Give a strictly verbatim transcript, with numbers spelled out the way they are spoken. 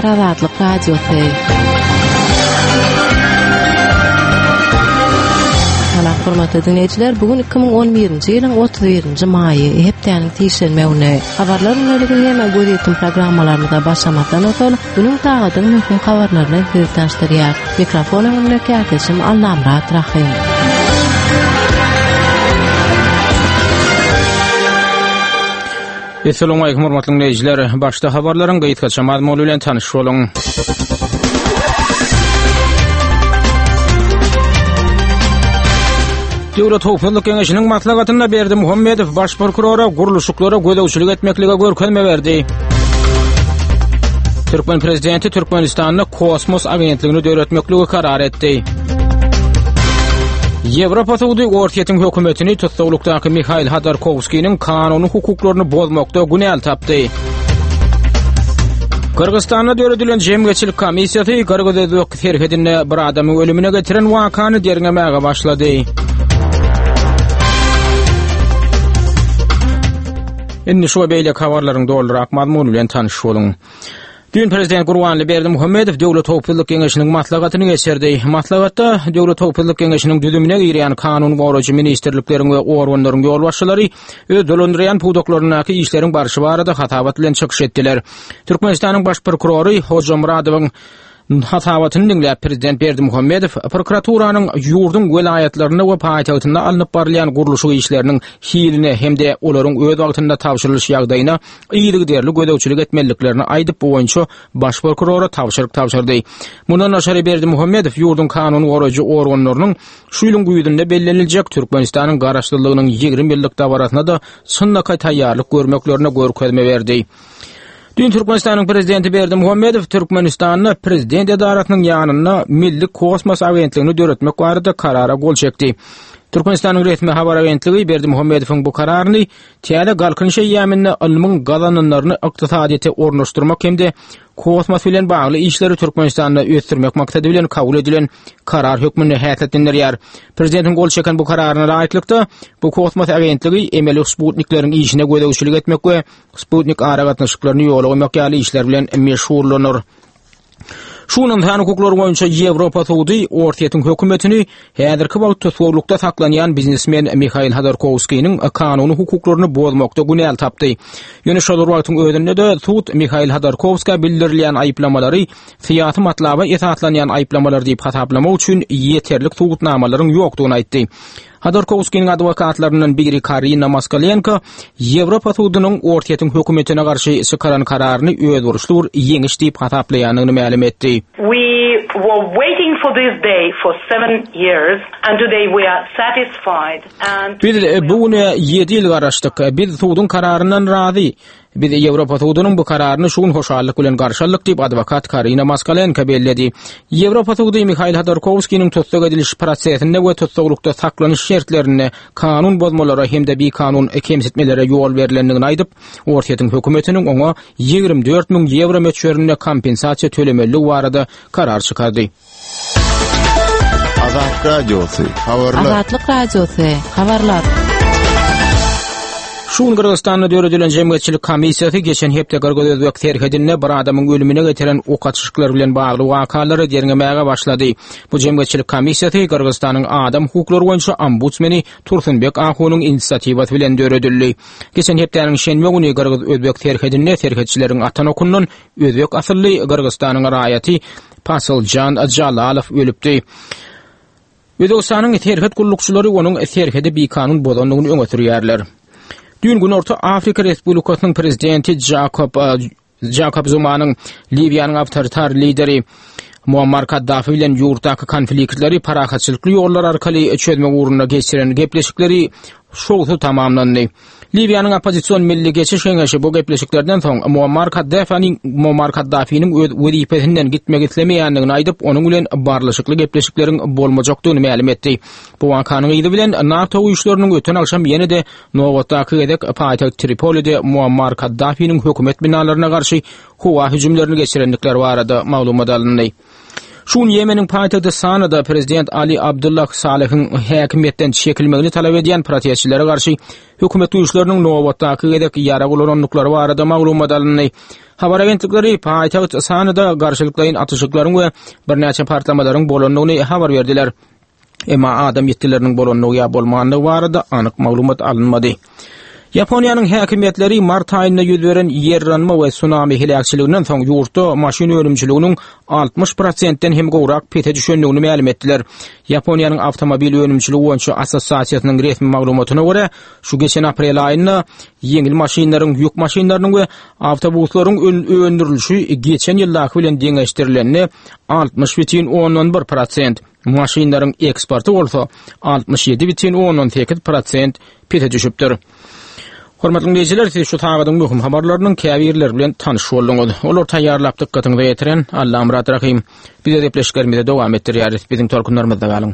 gürleýär Azatlyk Radiosy. Salam hormatly dinleýjiler, bu gün iki müň on birinji ýylyň otuz birinji maýy, hepdäniň sişenbe güni. Habarlar günlügi hem gözýetim programmalarymyza başlamazdan ozal, günüň sagadyň möhüm habarlaryny sizi tanışdyrýar. Mikrofon öňünde kärdeşim Allamyrat Rahym. Esselamu aleýkum hormatly dinleýjiler. Başda habarlaryň gysgaça mazmuny bilen tanyş boluň. Döwlet Howpsuzlyk Geňeşiniň maslahatynda Berdimuhamedow baş prokurora gurluşyklara gözegçilik etmeklige görkezme berdi. Türkmen prezidenti Türkmenistanda kosmos agentligini döretmekligi karar etdi. Ýewropa sudy Orsýetiň hökümetini tussaglykdaky Mihail Hodorkowskiniň kanuny hukuklaryny bozmakda günäli tapdy. Gyrgyzystanda döredilen jemgyýetçilik komissiýasy Gyrgyz-Özbek serhedinde bir adamyň ölümine getiren wakany derňemäge başlady. Indi şu we beýleki habarlaryň dolurak mazmuny bilen tanyş boluň. Düýn Prezident Gurbanguly Berdimuhamedow Döwlet Howpsuzlyk Geňeşiniň maslahatyny geçirdi. Maslahatda Döwlet Howpsuzlyk Geňeşiniň düzümine girýän kanun goraýjy ministrlikleriň we organlaryň ýolbaşçylary öz dolandyrýan pudaklaryndaky işleriň barşy barada hasabat bilen çykyş etdiler. Türkmenistanyň baş prokurory Hojamyradowyň hasabatyny diňläp Prezident Berdimuhamedow prokuraturanyň ýurduň welaýatlarynda we paýtagtynda alnyp barylýan gurluşyk işleriniň hiline hem-de olaryň öz wagtynda tabşyrylyş ýagdaýyna yzygiderli gözegçilik etmeliliklerini aýdyp, bu boýunça baş prokurora tabşyryk tabşyrdy. Mundan daşary Berdimuhamedow ýurduň kanun goraýjy organlarynyň şu ýylyň güýzünde belleniljek Türkmenistanyň garaşsyzlygynyň ýigrimi ýyllyk dabarasyna-da çynlakaý taýýarlyk görmeklerine görkezme berdi. Düýn Türkmenistanyň Prezidenti Berdimuhamedow Türkmenistanda Prezident edarasynyň ýanynda Milli kosmos agentligini döretmek barada karara gol çekdi. Türkmenistanyň resmi habar agentligi Berdimuhamedowyň bu kararyny täze Galkynyş eýýamynda ylmyň gazananlaryny ykdysadyýete ornaşdyrmak hem-de kosmos bilen bagly işleri Türkmenistanda ösdürmek maksady bilen kabul edilen karar hökmünde häsiýetlendirýär. Prezidentiň gol çeken bu kararyna laýyklykda bu kosmos agentligi emeli sputnikleriň işine gözegçilik etmek we Sputnik aragatnaşyklaryny ýola goýmak ýaly işler bilen meşgullanар. Şu gün ynsan hukuklary boýunça Ýewropa sudy Orsýetiň hökümetini häzirki wagt tussaglykda saklanýan biznesmen Mihail Hodorkowskiniň kanuny hukuklaryny bozmakda günäli tapdy. Ýöne şol bir wagtyň özünde-de sud Mihail Hodorkowska bildirilýän aýyplamalary syýasy matlaba esaslanýan aýyplamalar diýip hasaplamak üçin ýeterlik subutnamalaryň ýokdugyny aýtdy. Hodorkowskiniň adwokatlaryndan biri Karina Moskalenko Ýewropa sudunyň Orsýetiň hökümetine garşy çykaran kararyny özboluşly bir ýeňiş diýip hasaplaýandygyny mälim etdi. We were waiting for this day for seven years and today we are satisfied and Biz bu güne ýedi ýyl garaşdyk. Biz suduň kararyndan razy. Biz Ýewropa sudunyň bu kararyny şu gün hoşallyk bilen garşy aldyk diýip, adwokat Karina Moskalenko belledi. Ýewropa sudy Mihail Hodorkowskiniň tussag ediliş prosesinde we tussaglykda saklanyş şertlerinde kanun bozmalara hem-de bikanun kemsitmelere ýol berlendigini aýdyp, Orsýetiň hökümetiniň oňa ýigrimi dört müň ýewro möçberinde kompensasiýa tölemelidigi barada karar çykardy. Azat Radiosy, habarlar. Azatlyk Radiosy, habarlar. Şu gün Gyrgyzystanda döredilen jemgyýetçilik komissiýasy geçen hepde Gyrgyz-Özbek serhedinde bir adamyň ölümine getiren ok atyşyklar bilen bagly wakalary derňemäge başlady. Bu jemgyýetçilik komissiýasy Gyrgyzystanyň adam hukuklary boýunça ombudsmeni Tursunbek Ahunyň inisiatiwasy bilen döredildi. Geçen hepdäniň şenbe güni Gyrgyz-Özbek serhedinde serhetçileriň atan okundan özbek asylly Gyrgyzystanyň raýaty Pasyljan Jalalow ölüpdi. Özbegistanyň serhet gullukçylary onuň serhedi bikanun bozandygyny öňe sürýärler. Düýn Günorta Afrika Respublikasynyň prezidenti Jakob, Jakob Zumanyň Liwiýanyň awtoritar lideri Muammar Kaddafi bilen ýurtdaky konfliktleri parahatçylykly ýollar arkaly çözmek ugrunda geçiren gepleşikleri şowsuz tamamlandy. Liwiýanyň oppozision Milli Geçiş Geňeşi bu gepleşiklerden soň Muammar Kaddafiniň, Muammar Kaddafiniň öz wezipesinden gitmek islemeýändigini aýdyp, onuň bilen barlyşykly gepleşikleriň bolmajakdygyny mälim etdi. Bu wakanyň yzy bilen NATO güýçleriniň öten agşam ýene-de nobatdaky gezek paýtagt Tripolide Muammar Kaddafiniň hökümet binalaryna garşy howa hüjümlerini geçirendikleri barada maglumat alyndy. Şu gün Ýemeniň paýtagty Sanada prezident Ali Abdullah Salehiň häkimiýetden çekilmegini talap edýän protestçilere garşy hökümet güýçleriniň nobatdaky gezek ýarag ulanandyklary barada maglumat alyndy. Habar agentlikleri paýtagt Sanada garşylyklaýyn atyşyklaryň we birnäçe partlamalaryň bolandygyny habar berdiler. Emma adam ýitgileriniň bolandygy ýa bolmandygy barada anyk maglumat alynmady. Ýaponiýanyň häkimiýetleri mart aýynda ýüz beren ýerranma we tsunami heläkçiliginden soň ýurtda maşyn önümçiliginiň altmyş prosentden hem gowrak pese düşendigini mälim etdiler. Ýaponiýanyň awtomobil önümçiligi boýunça assosiasiýasynyň resmi maglumatyna görä, şu geçen aprel aýynda ýeňil maşynlaryň, ýük maşynlarynyň we awtobuslaryň öndürilişi geçen ýyldaky bilen deňeşdirilende altmyş bütin ondan bir prosent, maşynlaryň eksporty bolsa altmyş ýedi bütin ondan sekiz prosent pese düşüpdir. Hormatly dinleýjiler, siz şu sagadyň möhüm habarlarynyň käbirleri bilen tanyş bolduňyz. Olar taýýarlap dykgatyňyza ýetiren Allamyrat Rahim. Biz gepleşiklerimizi dowam etdirýäris. Biziň tolkunlarymyzda galyň.